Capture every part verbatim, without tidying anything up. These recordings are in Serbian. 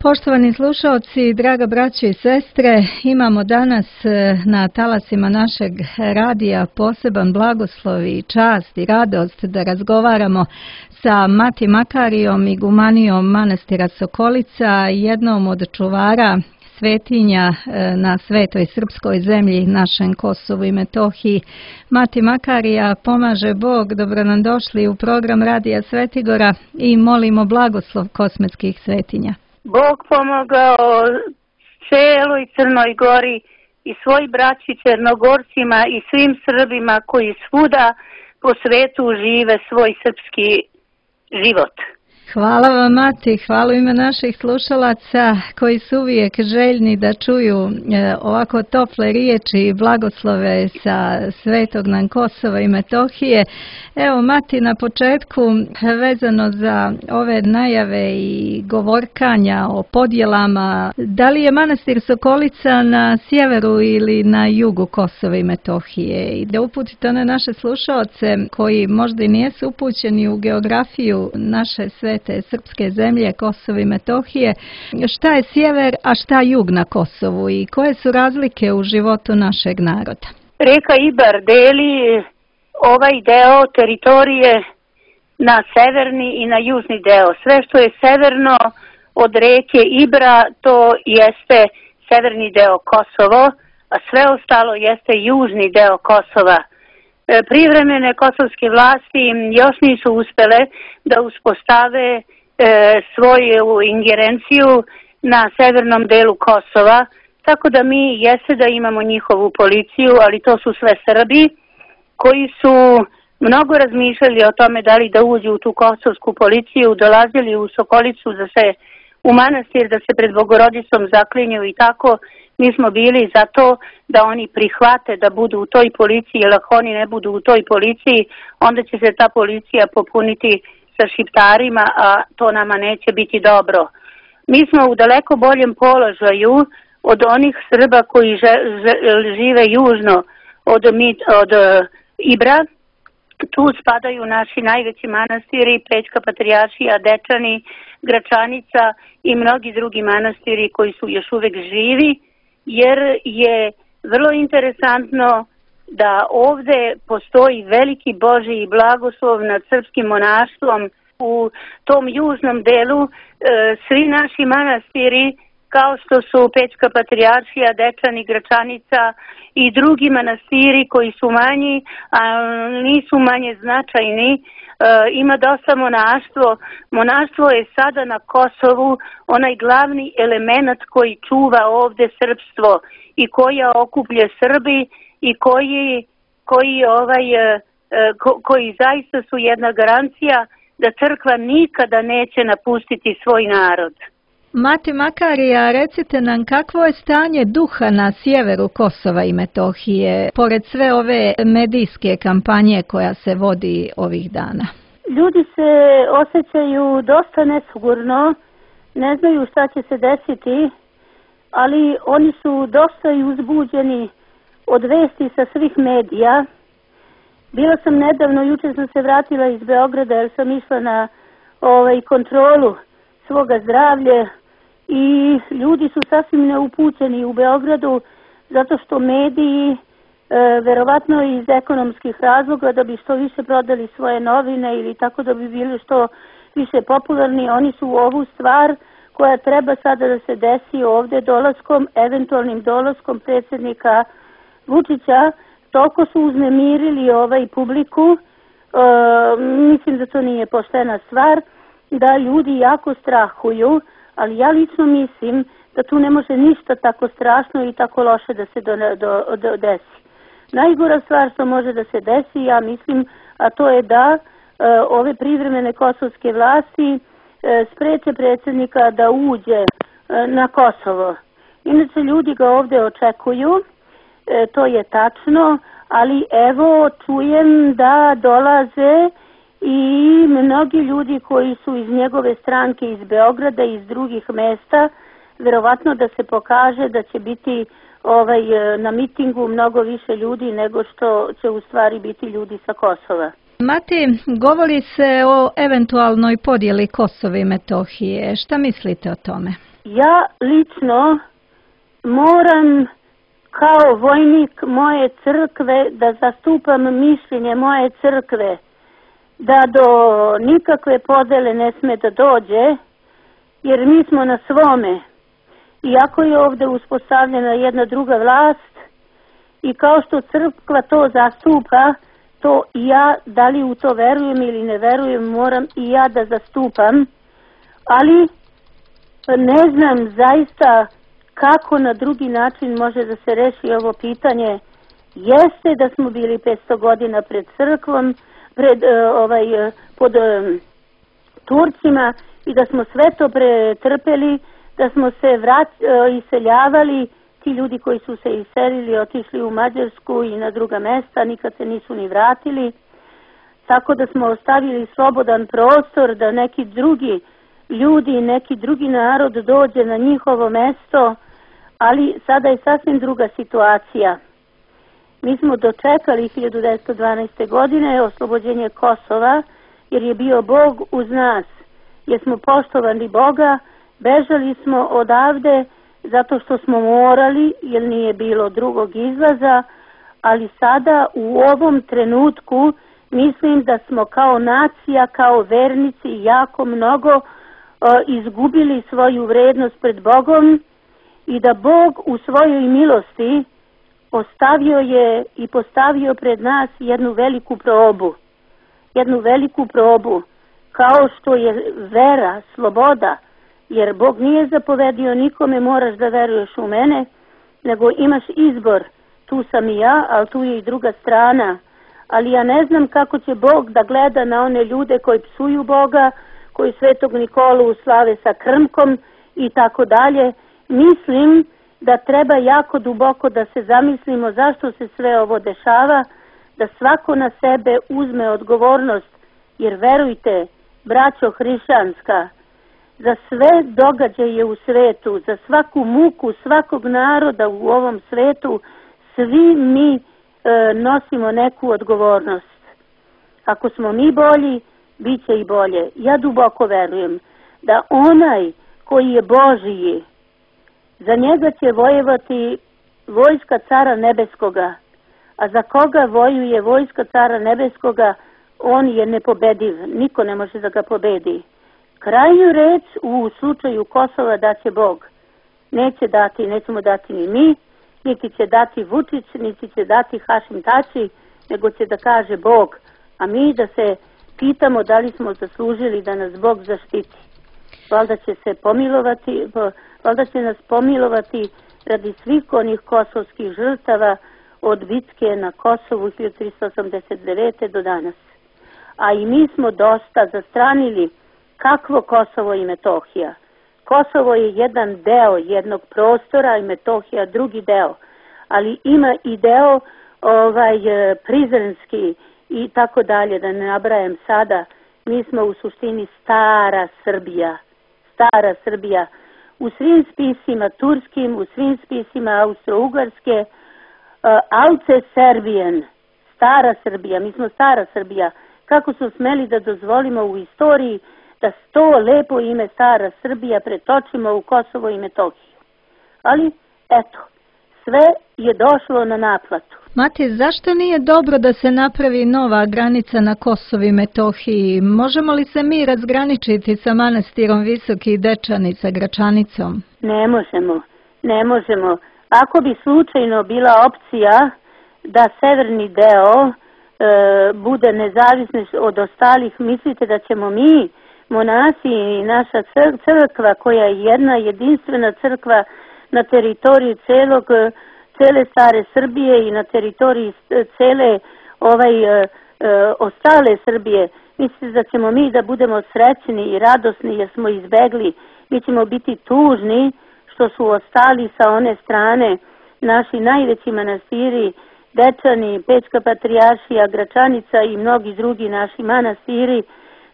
Poštovani slušalci, draga braćo i sestre, imamo danas na talasima našeg radija poseban blagoslov i čast i radost da razgovaramo sa Mati Makarijom, igumanijom manastira Sokolica, jednom od čuvara svetinja na svetoj srpskoj zemlji, našem Kosovu i Metohiji. Mati Makarija, pomaže Bog, dobro nam došli u program Radija Svetigora i molimo blagoslov kosmetskih svetinja. Bog pomogao celoj Crnoj Gori i svoj braći Crnogorcima i svim Srbima koji svuda po svetu žive svoj srpski život. Hvala vam, Mati, hvala ime naših slušalaca koji su uvijek željni da čuju ovako tople riječi i blagoslove sa svetog nam Kosova i Metohije. Evo, Mati, na početku, vezano za ove najave i govorkanja o podjelama, da li je manastir Sokolica na sjeveru ili na jugu Kosova i Metohije? I da uputite one naše slušalce koji možda i nijesu upućeni u geografiju naše svete te srpske zemlje, Kosovo i Metohije. Šta je sjever, a šta jug na Kosovu i koje su razlike u životu našeg naroda? Reka Ibar deli ovaj deo teritorije na severni i na južni deo. Sve što je severno od reke Ibra, to jeste severni deo Kosovo, a sve ostalo jeste južni deo Kosova. Privremene kosovske vlasti još nisu uspjele da uspostave e, svoju ingerenciju na severnom delu Kosova, tako da mi jeste da imamo njihovu policiju, ali to su sve Srbi koji su mnogo razmišljali o tome da li da uđu u tu kosovsku policiju, dolazili u Sokolicu da se u manastir, da se pred Bogorodicom zaklinju i tako. Mi smo bili za to da oni prihvate da budu u toj policiji, jer ako oni ne budu u toj policiji, onda će se ta policija popuniti sa šiptarima, a to nama neće biti dobro. Mi smo u daleko boljem položaju od onih Srba koji žive južno od, od Ibra. Tu spadaju naši najveći manastiri, Pećka patrijaršija, Dečani, Gračanica i mnogi drugi manastiri koji su još uvek živi, jer je vrlo interesantno da ovde postoji veliki Božji blagoslov nad srpskim monaštvom. U tom južnom delu e, svi naši manastiri, kao što su Pećka patrijaršija, Dečani, Gračanica i drugi manastiri koji su manji, a nisu manje značajni, e, ima dosta monaštvo. Monaštvo je sada na Kosovu onaj glavni element koji čuva ovde srpstvo i koja okuplje Srbi i koji, koji, ovaj, e, ko, koji zaista su jedna garancija da crkva nikada neće napustiti svoj narod. Mati Makarija, recite nam kakvo je stanje duha na sjeveru Kosova i Metohije, pored sve ove medijske kampanje koja se vodi ovih dana? Ljudi se osjećaju dosta nesigurno, ne znaju šta će se desiti, ali oni su dosta i uzbuđeni od vesti sa svih medija. Bila sam nedavno, juče sam se vratila iz Beograda jer sam išla na ovaj, kontrolu svoga zdravlja i ljudi su sasvim neupućeni u Beogradu zato što mediji, e, verovatno iz ekonomskih razloga, da bi što više prodali svoje novine ili tako da bi bili što više popularni, oni su ovu stvar koja treba sada da se desi ovde dolaskom, eventualnim dolaskom predsjednika Vučića, toliko su uznemirili ovaj publiku, e, mislim da to nije poštena stvar, da ljudi jako strahuju, ali ja lično mislim da tu ne može ništa tako strašno i tako loše da se do, do, do, desi. Najgora stvar što može da se desi, ja mislim, a to je da e, ove privremene kosovske vlasti e, spreče predsjednika da uđe e, na Kosovo. Inače, ljudi ga ovde očekuju, e, to je tačno, ali evo čujem da dolaze i mnogi ljudi koji su iz njegove stranke iz Beograda i iz drugih mesta, verovatno da se pokaže da će biti ovaj, na mitingu mnogo više ljudi nego što će u stvari biti ljudi sa Kosova. Mati, govori se o eventualnoj podjeli Kosova i Metohije. Šta mislite o tome? ja lično moram kao vojnik moje crkve da zastupam mišljenje moje crkve, da do nikakve podele ne sme da dođe, jer mi smo na svome. Iako je ovdje uspostavljena jedna druga vlast i kao što crkva to zastupa, to i ja, da li u to verujem ili ne verujem, moram i ja da zastupam, ali ne znam zaista kako na drugi način može da se reši ovo pitanje. Jeste da smo bili petsto godina pred crkvom, pred uh, ovaj, uh, pod uh, Turcima i da smo sve to pretrpeli, da smo se vrat, uh, iseljavali, ti ljudi koji su se iselili, otišli u Mađarsku i na druga mesta, nikad se nisu ni vratili, tako da smo ostavili slobodan prostor da neki drugi ljudi, neki drugi narod dođe na njihovo mesto, ali sada je sasvim druga situacija. Mi smo dočekali hiljadu devetsto dvanaeste. godine oslobođenje Kosova, jer je bio Bog uz nas, jer smo poštovali Boga, bežali smo odavde zato što smo morali, jer nije bilo drugog izlaza, ali sada u ovom trenutku mislim da smo kao nacija, kao vernici jako mnogo uh, izgubili svoju vrednost pred Bogom i da Bog u svojoj milosti ostavio je i postavio pred nas jednu veliku probu. Jednu veliku probu, kao što je vera, sloboda, jer Bog nije zapovedio nikome moraš da veruješ u mene, nego imaš izbor. Tu sam i ja, ali tu je i druga strana. Ali ja ne znam kako će Bog da gleda na one ljude koji psuju Boga, koji Svetog Nikolu slave sa krmkom i tako dalje. Mislim da treba jako duboko da se zamislimo zašto se sve ovo dešava, da svako na sebe uzme odgovornost, jer verujte, braćo hrišćanska, za sve događaje u svetu, za svaku muku svakog naroda u ovom svetu, svi mi e, nosimo neku odgovornost. Ako smo mi bolji, bit će i bolje. Ja duboko verujem da onaj koji je Božiji, za njega će vojevati vojska Cara Nebeskoga, a za koga vojuje vojska Cara Nebeskoga, on je nepobediv, niko ne može da ga pobedi. Krajnju reč u slučaju Kosova daće Bog. Neće dati, nećemo dati ni mi, niti će dati Vučić, niti će dati Hašim Tači, nego će da kaže Bog, a mi da se pitamo da li smo zaslužili da nas Bog zaštiti. Valjda će se pomilovati, valjda će nas pomilovati radi svih onih kosovskih žrtava od bitke na Kosovu hiljadu tristo osamdeset devete. do danas. A i mi smo dosta zastranili kakvo Kosovo i Metohija. Kosovo je jedan deo jednog prostora i Metohija drugi deo, ali ima i deo ovaj, prizrenski i tako dalje, da ne nabrajam sada. Mi smo u suštini stara Srbija. Stara Srbija. U svim spisima turskim, u svim spisima Austro-Ugarske, uh, Alce Serbijen, stara Srbija, mi smo stara Srbija. Kako su smeli da dozvolimo u istoriji da to lepo ime stara Srbija pretočimo u Kosovo i Metohiju. Ali, eto, sve je došlo na naplatu. Mati, zašto nije dobro da se napravi nova granica na Kosovu i Metohiji? Možemo li se mi razgraničiti sa manastirom Visoki Dečani, sa Gračanicom? Ne možemo, ne možemo. Ako bi slučajno bila opcija da severni deo e, bude nezavisni od ostalih, mislite da ćemo mi, monasi i naša crkva, koja je jedna jedinstvena crkva na teritoriji celog cele stare Srbije i na teritoriji cele ovaj, e, e, ostale Srbije, mislite da ćemo mi da budemo srećni i radosni jer smo izbegli, mi ćemo biti tužni što su ostali sa one strane naši najveći manastiri, Dečani, Pećka patrijaršija, Gračanica i mnogi drugi naši manastiri,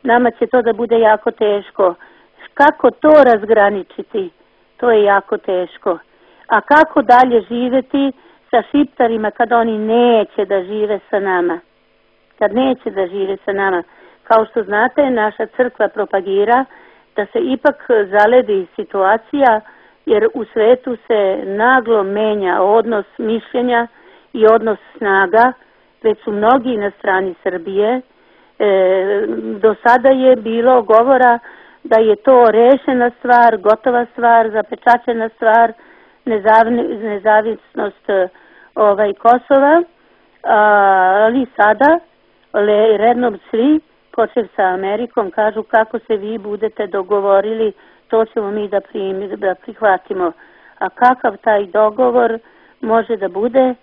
nama će to da bude jako teško. Kako to razgraničiti? To je jako teško. A kako dalje živeti sa Šiptarima kad oni neće da žive sa nama? Kad neće da žive sa nama. Kao što znate, naša crkva propagira da se ipak zaledi situacija, jer u svetu se naglo menja odnos mišljenja i odnos snaga, već su mnogi na strani Srbije. E, do sada je bilo govora da je to rešena stvar, gotova stvar, zapečaćena stvar, nezavni, nezavisnost ovaj, Kosova, ali sada le, rednom svi, počev sa Amerikom, kažu kako se vi budete dogovorili, to ćemo mi da, primi, da prihvatimo. A kakav taj dogovor može da bude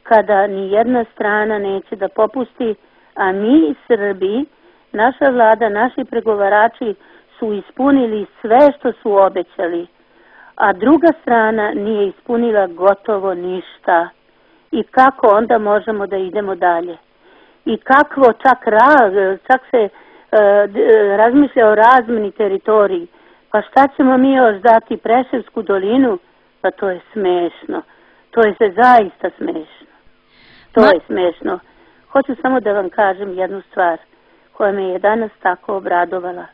kada ni jedna strana neće da popusti, a mi Srbi, naša vlada, naši pregovarači su ispunili sve što su obećali, a druga strana nije ispunila gotovo ništa. I kako onda možemo da idemo dalje? I kakvo čak, ra, čak se uh, razmišlja o razmeni teritoriji. Pa šta ćemo mi još dati Preševsku dolinu? Pa to je smešno. To je se zaista smešno. To Ma... je smešno. Hoću samo da vam kažem jednu stvar koja me je danas tako obradovala.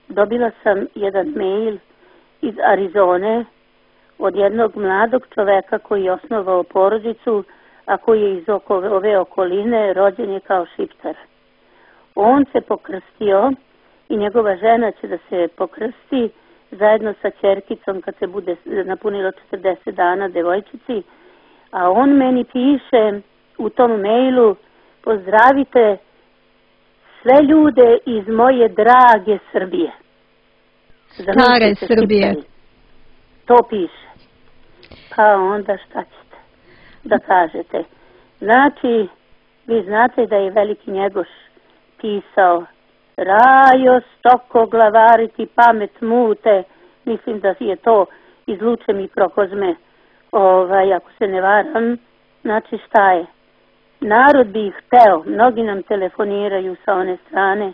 Dobila sam jedan mail iz Arizone od jednog mladog čoveka koji je osnovao porodicu, a koji je iz oko, ove okoline, rođen je kao Šiptar. On se pokrstio i njegova žena će da se pokrsti zajedno sa ćerkicom kad se bude napunilo četrdeset dana devojčici, a on meni piše u tom mailu: pozdravite sve ljude iz moje drage Srbije. Stare Srbije. To piše. Pa onda šta ćete da kažete? Znači, vi znate da je Veliki Njegoš pisao: Rajo, stoko, glavariti, pamet mute. Mislim da je to iz Luče Mikrokozme, ovaj, ako se ne varam. Znači, šta je? Narod bi ih hteo, mnogi nam telefoniraju sa one strane,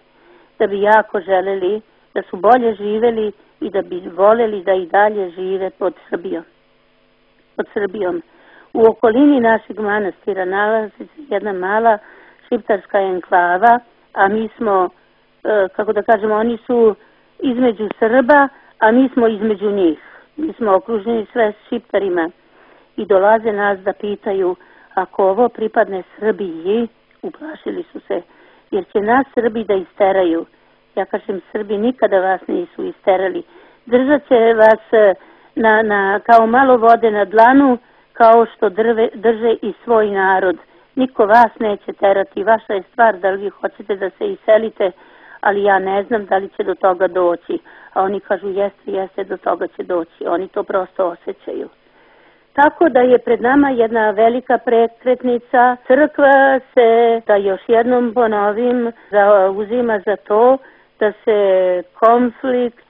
da bi jako želeli, da su bolje živeli i da bi voleli da i dalje žive pod Srbijom. Pod Srbijom. U okolini našeg manastira nalazi se jedna mala šiptarska enklava, a mi smo, kako da kažemo, oni su između Srba, a mi smo između njih. Mi smo okruženi sve Šiptarima i dolaze nas da pitaju: ako ovo pripadne Srbiji, uplašili su se, jer će nas Srbi da isteraju. Ja kažem, Srbi nikada vas nisu isterali. Držat će vas na, na, kao malo vode na dlanu, kao što drve, drže i svoj narod. Niko vas neće terati, vaša je stvar da li vi hoćete da se iselite, ali ja ne znam da li će do toga doći. A oni kažu jeste, jeste, do toga će doći. Oni to prosto osjećaju. Tako da je pred nama jedna velika prekretnica. Crkva se, da još jednom ponovim, zauzima za to da se konflikt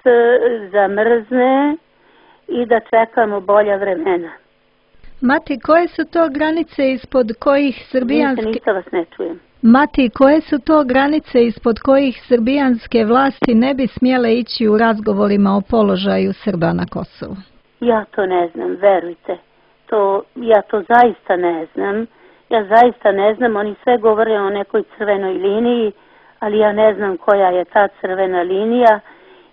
zamrzne i da čekamo bolja vremena. Mati, koje su to granice ispod kojih srbijanske... Ništa, ništa vas ne čujem. Mati, koje su to granice ispod kojih srbijanske vlasti ne bi smjele ići u razgovorima o položaju Srba na Kosovu? Ja to ne znam, verujte. To, ja to zaista ne znam. Ja zaista ne znam, oni sve govore o nekoj crvenoj liniji, ali ja ne znam koja je ta crvena linija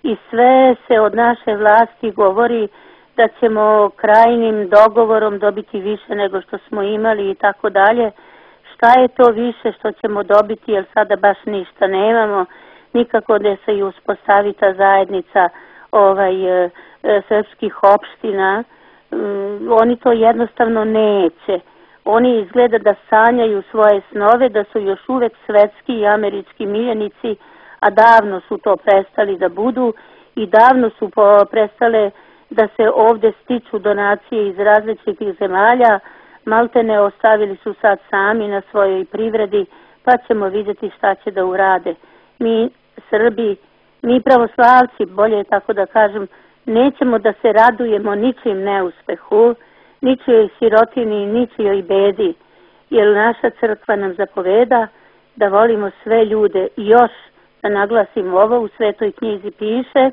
i sve se od naše vlasti govori da ćemo krajnim dogovorom dobiti više nego što smo imali i tako dalje. Šta je to više što ćemo dobiti, jer sada baš ništa nemamo, nikako da se i uspostavi ta zajednica ovaj, e, srpskih opština. Um, oni to jednostavno neće. Oni izgleda da sanjaju svoje snove, da su još uvek svetski i američki miljenici, a davno su to prestali da budu i davno su po, prestale da se ovde stiču donacije iz različitih zemalja. Maltene ostavili su sad sami na svojoj privredi, pa ćemo vidjeti šta će da urade. Mi Srbi, mi pravoslavci, bolje tako da kažem, nećemo da se radujemo ničim neuspehu, ničijoj sirotini, ničijoj bedi, jer naša crkva nam zapoveda da volimo sve ljude. I još da naglasim ovo, u Svetoj knjizi piše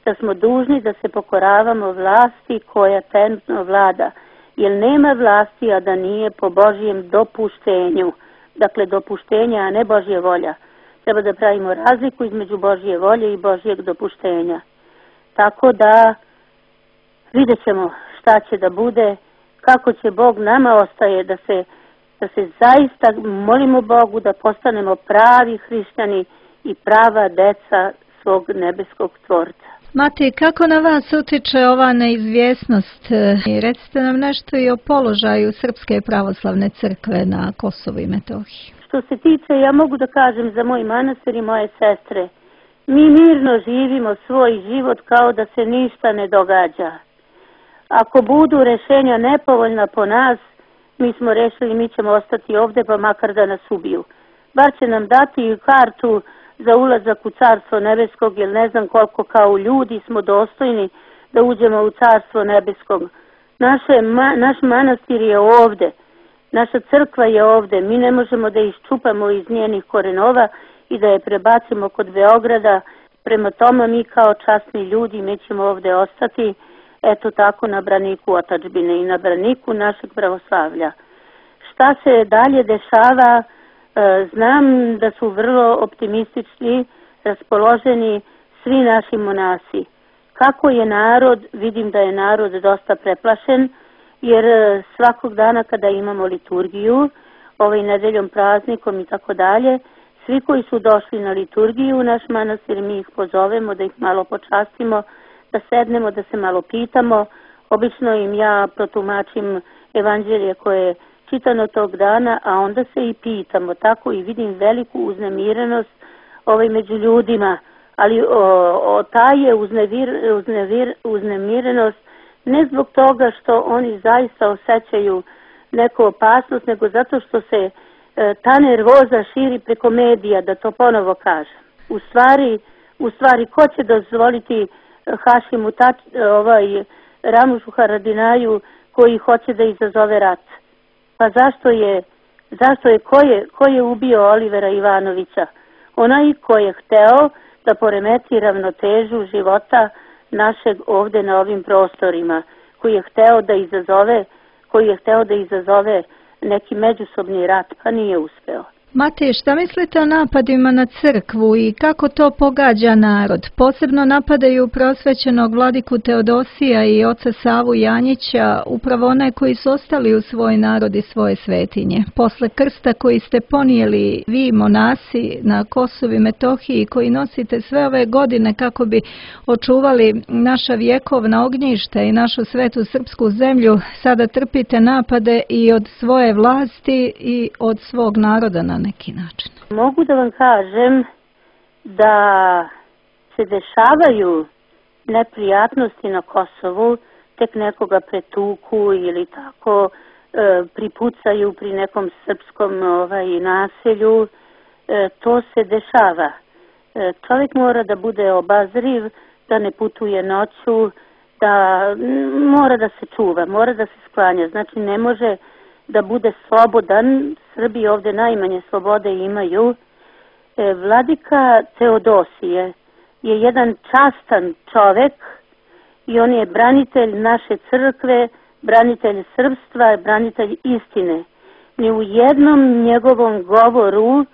da smo dužni da se pokoravamo vlasti koja trenutno vlada, jer nema vlasti, a da nije po Božjem dopuštenju. Dakle, dopuštenja, a ne Božje volja. Treba da pravimo razliku između Božje volje i Božjeg dopuštenja. tako da vidjet ćemo šta će da bude, kako će Bog. Nama ostaje da se, da se zaista molimo Bogu da postanemo pravi hrišćani i prava deca svog nebeskog tvorca. Mati, kako na vas utiče ova neizvjesnost? I recite nam nešto i o položaju Srpske pravoslavne crkve na Kosovu i Metohiji. Što se tiče, ja mogu da kažem za moj manastir i moje sestre, mi mirno živimo svoj život kao da se ništa ne događa. Ako budu rešenja nepovoljna po nas, mi smo rešili, mi ćemo ostati ovde pa makar da nas ubiju. Bar će nam dati kartu za ulazak u Carstvo nebeskog, jer ne znam koliko kao ljudi smo dostojni da uđemo u Carstvo nebeskog. Naše, ma, naš manastir je ovde, naša crkva je ovde, mi ne možemo da iščupamo iz njenih korenova i da je prebacimo kod Beograda. Prema tome mi kao časni ljudi mi ćemo ovde ostati, eto tako na braniku otadžbine i na braniku našeg pravoslavlja. Šta se dalje dešava? Znam da su vrlo optimistični, raspoloženi svi naši monasi. Kako je narod? Vidim da je narod dosta preplašen, jer svakog dana kada imamo liturgiju, ovaj nedeljom praznikom i tako dalje, svi koji su došli na liturgiju u naš manastir, mi ih pozovemo da ih malo počastimo, da sednemo, da se malo pitamo. Obično im ja protumačim evanđelje koje je čitano tog dana, a onda se i pitamo. Tako i vidim veliku uznemirenost ovaj među ljudima, ali o, o, ta je uznevir, uznevir, uznemirenost ne zbog toga što oni zaista osjećaju neku opasnost, nego zato što se e, ta nervoza širi preko medija, da to ponovo kažem. U stvari, u stvari ko će dozvoliti Hašimu tač, ovaj, Ramušu Haradinaju koji hoće da izazove rat? Pa zašto je, zašto je, ko je, ko je ubio Olivera Ivanovića? Onaj ko je hteo da poremeti ravnotežu života našeg ovde na ovim prostorima, koji je hteo da izazove, koji je hteo da izazove neki međusobni rat, pa nije uspeo. Mati, šta mislite o napadima na crkvu i kako to pogađa narod? Posebno napadaju prosvećenog vladiku Teodosija i oca Savu Janjića, upravo one koji su ostali u svoj narod i svoje svetinje. Posle krsta koji ste ponijeli vi, monasi, na Kosovu i Metohiji, koji nosite sve ove godine kako bi očuvali naša vjekovna ognjišta i našu svetu srpsku zemlju, sada trpite napade i od svoje vlasti i od svog naroda na neki način. Mogu da vam kažem da se dešavaju neprijatnosti na Kosovu, tek nekoga pretuku ili tako e, pripucaju pri nekom srpskom ovaj, naselju. E, to se dešava. E, čovjek mora da bude obazriv, da ne putuje noću, da mora da se čuva, mora da se sklanja. Znači ne može da bude slobodan. Srbi ovde najmanje slobode imaju. E, vladika Teodosije je jedan častan čovek i on je branitelj naše crkve, branitelj srpstva, branitelj istine. Ni u jednom njegovom govoru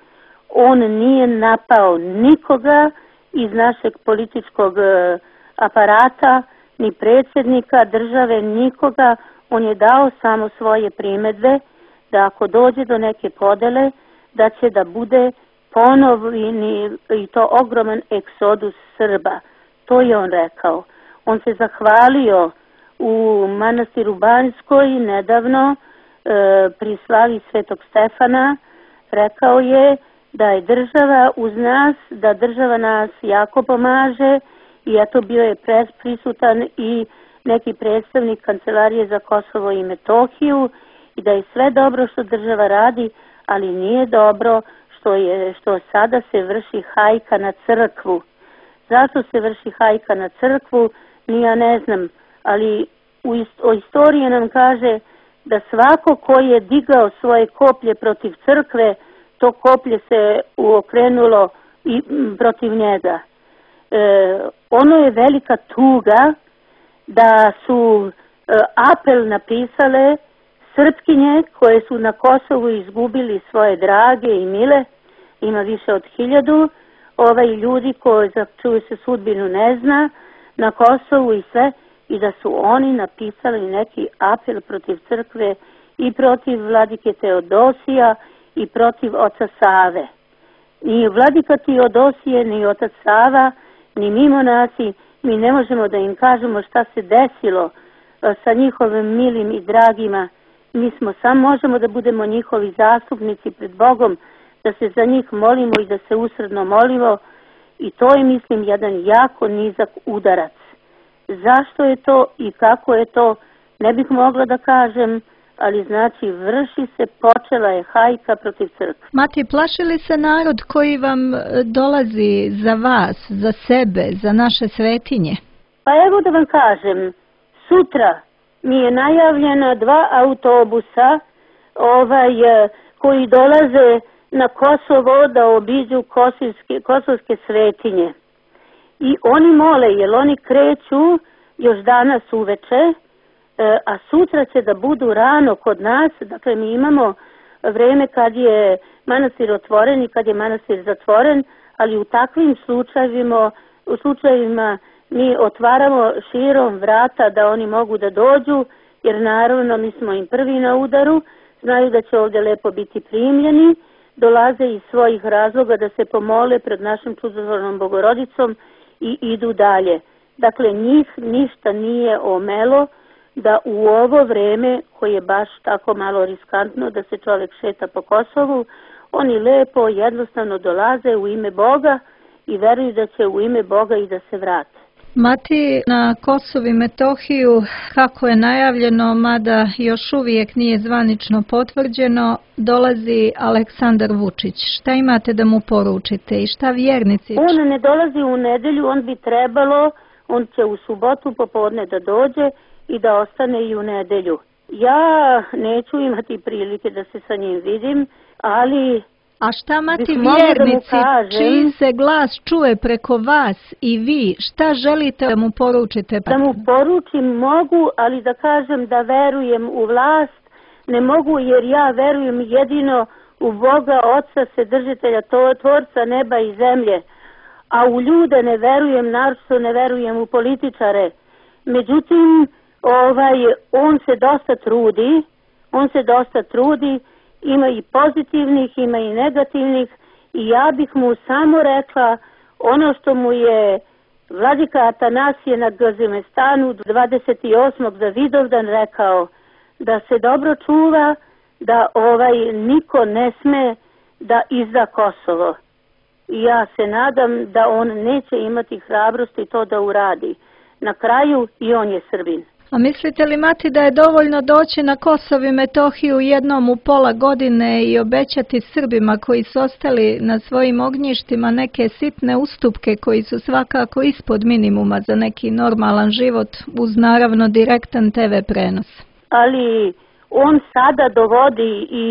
on nije napao nikoga iz našeg političkog aparata, ni predsjednika države, nikoga. On je dao samo svoje primedbe da ako dođe do neke podele, da će da bude ponovni i to ogroman eksodus Srba. To je on rekao. On se zahvalio u manastiru Banjskoj nedavno e, pri slavi Svetog Stefana. Rekao je da je država uz nas, da država nas jako pomaže i eto bio je prisutan i neki predstavnik Kancelarije za Kosovo i Metohiju i da je sve dobro što država radi, ali nije dobro što je što sada se vrši hajka na crkvu. Zašto se vrši hajka na crkvu, ni ja ne znam, ali u ist, o istoriji nam kaže da svako ko je digao svoje koplje protiv crkve, to koplje se uokrenulo i m, protiv njega. E, ono je velika tuga da su e, apel napisale Srpkinje koje su na Kosovu izgubili svoje drage i mile, ima više od hiljadu, ovaj ljudi koji za čuju se sudbinu ne zna, na Kosovu i sve, i da su oni napisali neki apel protiv crkve i protiv vladike Teodosija i protiv oca Save. Ni vladika Teodosije, ni otac Sava, ni mi monasi, mi ne možemo da im kažemo šta se desilo sa njihovim milim i dragima. Mi smo samo možemo da budemo njihovi zastupnici pred Bogom, da se za njih molimo i da se usredno molimo, i to je, mislim, jedan jako nizak udarac. Zašto je to i kako je to, ne bih mogla da kažem, ali znači vrši se, počela je hajka protiv crkve. Mati, plaši li se narod koji vam dolazi za vas, za sebe, za naše svetinje? Pa evo da vam kažem, sutra mi je najavljena dva autobusa ovaj, koji dolaze na Kosovo da obiđu kosovske, kosovske svetinje. I oni mole, jer oni kreću još danas uveče, a sutra će da budu rano kod nas. Dakle, mi imamo vreme kad je manastir otvoren i kad je manastir zatvoren, ali u takvim slučajevima, u slučajevima mi otvaramo širom vrata da oni mogu da dođu, jer naravno mi smo im prvi na udaru, znaju da će ovdje lepo biti primljeni, dolaze iz svojih razloga da se pomole pred našom čudotvornom Bogorodicom i idu dalje. Dakle, njih ništa nije omelo da u ovo vreme, koje je baš tako malo riskantno da se čovjek šeta po Kosovu, oni lepo, jednostavno dolaze u ime Boga i veruju da će u ime Boga i da se vrate. Mati, na Kosovu i Metohiju, kako je najavljeno, mada još uvijek nije zvanično potvrđeno, dolazi Aleksandar Vučić. Šta imate da mu poručite i šta vjernici? On ne dolazi u nedelju, on bi trebalo, on će u subotu popodne da dođe i da ostane i u nedelju. Ja neću imati prilike da se sa njim vidim, ali... A šta, Mati, vjernici, da kažem, čiji se glas čuje preko vas i vi, šta želite da mu poručite? Da mu poručim mogu, ali da kažem da verujem u vlast, ne mogu, jer ja verujem jedino u Boga, Oca, Vседržitelja, Tvorca neba i zemlje, a u ljude ne verujem, naročito ne verujem u političare. Međutim, ovaj, on se dosta trudi, on se dosta trudi, ima i pozitivnih, ima i negativnih, i ja bih mu samo rekla ono što mu je vladika Atanasije na Gazimestanu dvadeset osmog za Vidovdan rekao, da se dobro čuva, da ovaj niko ne sme da izda Kosovo. I ja se nadam da on neće imati hrabrosti to da uradi. Na kraju i on je Srbin. A mislite li, Mati, da je dovoljno doći na Kosovo i Metohiju jednom u pola godine i obećati Srbima koji su ostali na svojim ognjištima neke sitne ustupke koji su svakako ispod minimuma za neki normalan život, uz naravno direktan te ve prenos? Ali on sada dovodi i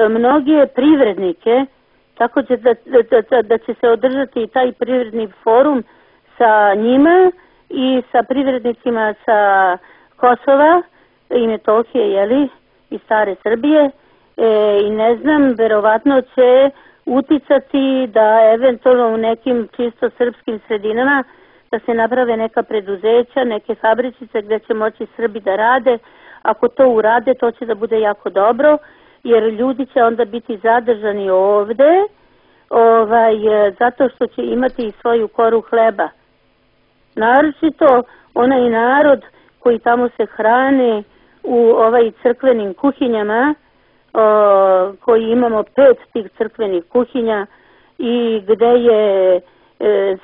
mnoge privrednike, tako će da, da, da, da će se održati taj privredni forum sa njima i sa privrednicima sa Kosova i Metohije, jeli, i stare Srbije, e, i ne znam, verovatno će uticati da eventualno u nekim čisto srpskim sredinama da se naprave neka preduzeća, neke fabričice gdje će moći Srbi da rade. Ako to urade, to će da bude jako dobro, jer ljudi će onda biti zadržani ovde, ovaj, zato što će imati i svoju koru hleba. Naročito onaj narod koji tamo se hrane u ovaj crkvenim kuhinjama, o, koji imamo pet tih crkvenih kuhinja i gde je e,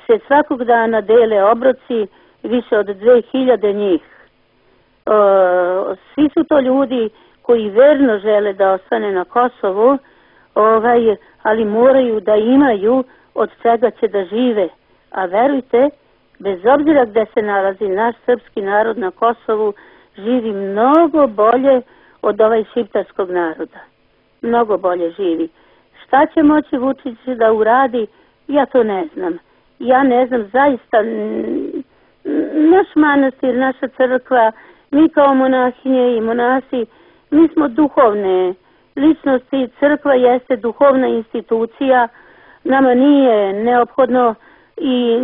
se svakog dana dele obroci, više od dve hiljade njih. O, svi su to ljudi koji verno žele da ostane na Kosovu, ovaj, ali moraju da imaju od čega će da žive. A verujte, bez obzira gde se nalazi naš srpski narod na Kosovu, živi mnogo bolje od ovaj šiptarskog naroda. Mnogo bolje živi. Šta će moći Vučić da uradi, ja to ne znam. Ja ne znam, zaista, naš manastir, naša crkva, mi kao monahinje i monasi, mi smo duhovne ličnosti, crkva jeste duhovna institucija, nama nije neophodno i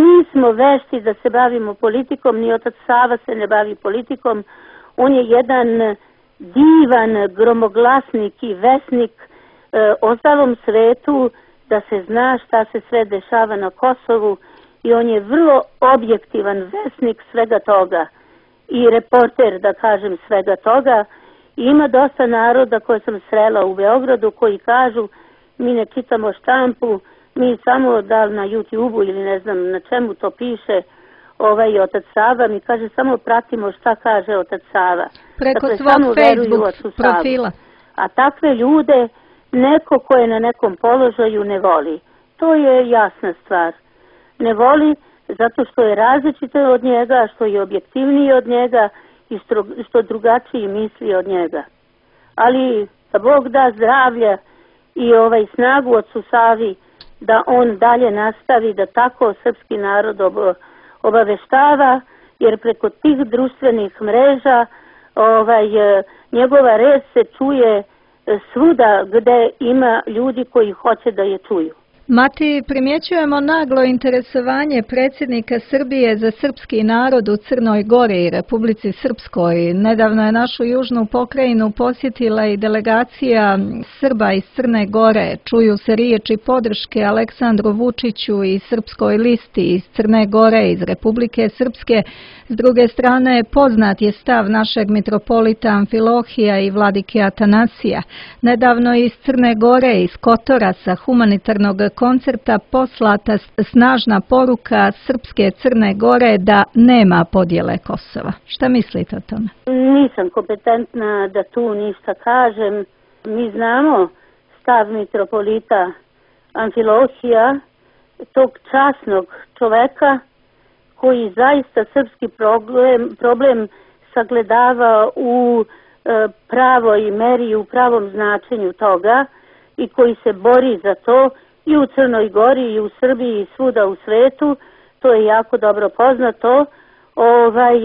nismo vešti da se bavimo politikom, ni otac Sava se ne bavi politikom. On je jedan divan gromoglasnik i vesnik e, ostalom svetu da se zna šta se sve dešava na Kosovu i on je vrlo objektivan vesnik svega toga i reporter, da kažem, svega toga. I ima dosta naroda koje sam srela u Beogradu koji kažu mi ne čitamo štampu, mi samo da li na YouTube-u ili ne znam na čemu to piše ovaj otac Sava, mi kaže samo pratimo šta kaže otac Sava. Preko dakle, svog Facebook profila. A takve ljude neko ko je na nekom položaju ne voli. To je jasna stvar. Ne voli zato što je različito od njega, što je objektivniji od njega i što, što drugačiji misli od njega. Ali da Bog da zdravlja i ovaj snagu od Savi da on dalje nastavi da tako srpski narod obaveštava, jer preko tih društvenih mreža ovaj, njegova reč se čuje svuda gde ima ljudi koji hoće da je čuju. Mati, primjećujemo naglo interesovanje predsjednika Srbije za srpski narod u Crnoj Gori i Republici Srpskoj. Nedavno je našu južnu pokrajinu posjetila i delegacija Srba iz Crne Gore. Čuju se riječi podrške Aleksandru Vučiću i Srpskoj listi iz Crne Gore, iz Republike Srpske. S druge strane, poznat je stav našeg mitropolita Amfilohija i vladike Atanasija. Nedavno iz Crne Gore, iz Kotora, sa humanitarnog koncerta poslata snažna poruka Srpske Crne Gore da nema podjele Kosova. Šta mislite o tome? Nisam kompetentna da tu ništa kažem. Mi znamo stav mitropolita Amfilohija, tog časnog čoveka koji zaista srpski problem, problem sagledava u e, pravoj meri, u pravom značenju toga i koji se bori za to i u Crnoj Gori i u Srbiji i svuda u svetu. To je jako dobro poznato. Ovaj,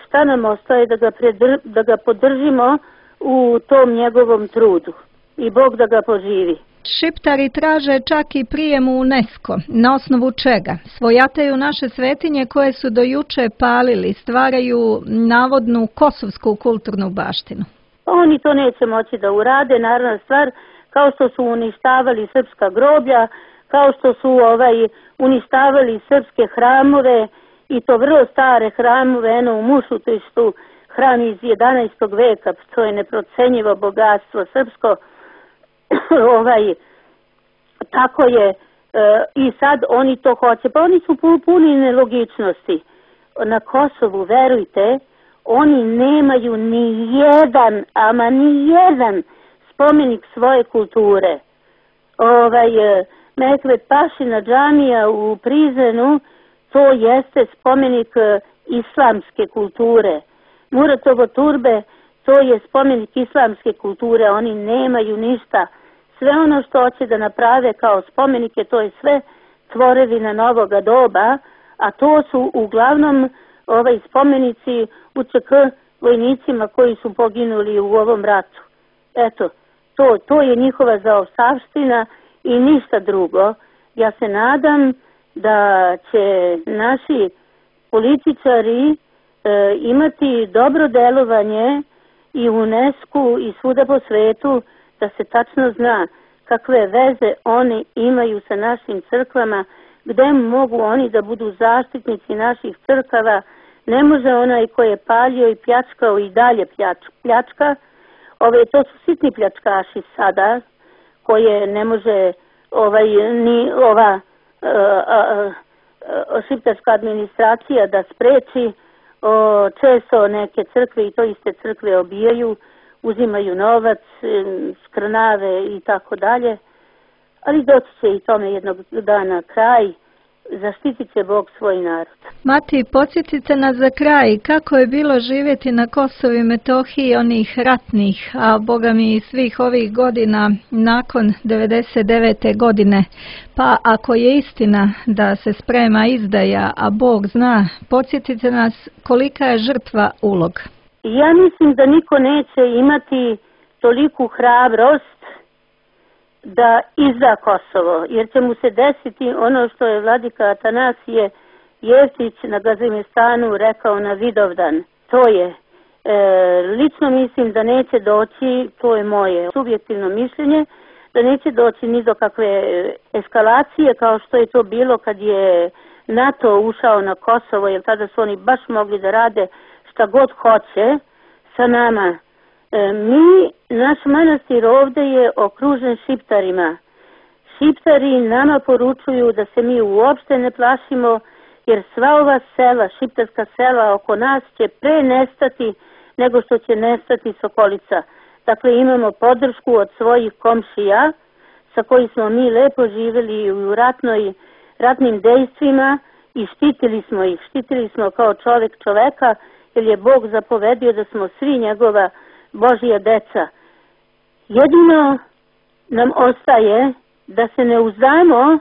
šta nam ostaje da ga, predr, da ga podržimo u tom njegovom trudu i Bog da ga poživi. Šiptari traže čak i prijem u UNESCO. Na osnovu čega? Svojataju naše svetinje koje su do juče palili, stvaraju navodnu kosovsku kulturnu baštinu. Oni to neće moći da urade, naravna stvar, kao što su uništavali srpska groblja, kao što su ovaj uništavali srpske hramove i to vrlo stare hramove, eno u Mušutištu, hram iz jedanaestog veka, to je neprocenjivo bogatstvo srpsko. ovaj, tako je e, i sad oni to hoće, pa oni su puni nelogičnosti. Na Kosovu, verujte, oni nemaju ni jedan, ama ni jedan spomenik svoje kulture. Ovaj, Mehmet Pašina džamija u Prizrenu, to jeste spomenik islamske kulture. Muratovo turbe, to je spomenik islamske kulture, oni nemaju ništa. Sve ono što hoće da naprave kao spomenike, to je sve tvorevina novoga doba, a to su uglavnom ovaj spomenici U Č K vojnicima koji su poginuli u ovom ratu. Eto, to, to je njihova zaostavština i ništa drugo. Ja se nadam da će naši političari e, imati dobro delovanje i u UNESCO i svuda po svetu, da se tačno zna kakve veze oni imaju sa našim crkvama, gde mogu oni da budu zaštitnici naših crkava. Ne može onaj ko je palio i pljačkao i dalje pljač, pljačka. Ove, to su sitni pljačkaši sada, koje ne može ovaj, ni ova a, a, a, šiptarska administracija da spreči. O, često neke crkve i to iste crkve obijaju, uzimaju novac, skrnave i tako dalje. Ali doći će i tome jednog dana kraj. Zaštitit će Bog svoj narod. Mati, podsjetite nas za kraj kako je bilo živjeti na Kosovu i Metohiji onih ratnih, a Boga mi i svih ovih godina nakon devedeset devete godine. Pa ako je istina da se sprema izdaja, a Bog zna, podsjetite nas kolika je žrtva ulog. Ja mislim da niko neće imati toliku hrabrost da izda Kosovo, jer će mu se desiti ono što je vladika Atanasije Jevtić na Gazimestanu rekao na Vidovdan. To je, e, lično mislim da neće doći, to je moje subjektivno mišljenje, da neće doći ni do kakve eskalacije kao što je to bilo kad je NATO ušao na Kosovo, jer tada su oni baš mogli da rade šta god hoće sa nama. E, mi, naš manastir ovde je okružen šiptarima. Šiptari nama poručuju da se mi uopšte ne plašimo, jer sva ova sela, šiptarska sela oko nas će pre nestati nego što će nestati Sokolica. Dakle, imamo podršku od svojih komšija sa koji smo mi lepo živjeli u ratnoj, ratnim dejstvima i štitili smo ih. Štitili smo kao čovjek čoveka, jer je Bog zapovedio da smo svi njegova Božja deca. Jedino nam ostaje da se ne uzdajemo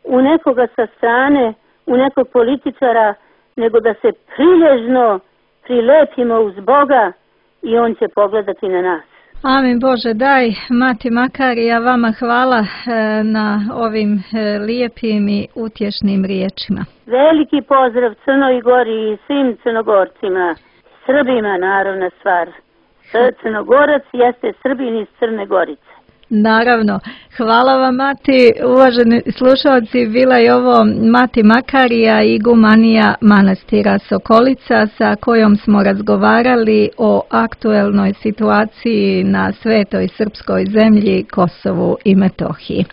u nekoga sa strane, u nekog političara, nego da se prilježno prilepimo uz Boga i on će pogledati na nas. Amin Bože, daj, Mati Makarija, vama hvala e, na ovim e, lijepim i utješnim riječima. Veliki pozdrav Crnoj Gori i svim Crnogorcima, Srbima naravna stvar. Crnogorac jeste Srbin iz Crne Gorice. Naravno. Hvala vam, Mati. Uvaženi slušalci, bila je ovo Mati Makarija, igumanija manastira Sokolica, sa kojom smo razgovarali o aktuelnoj situaciji na svetoj srpskoj zemlji Kosovu i Metohiji.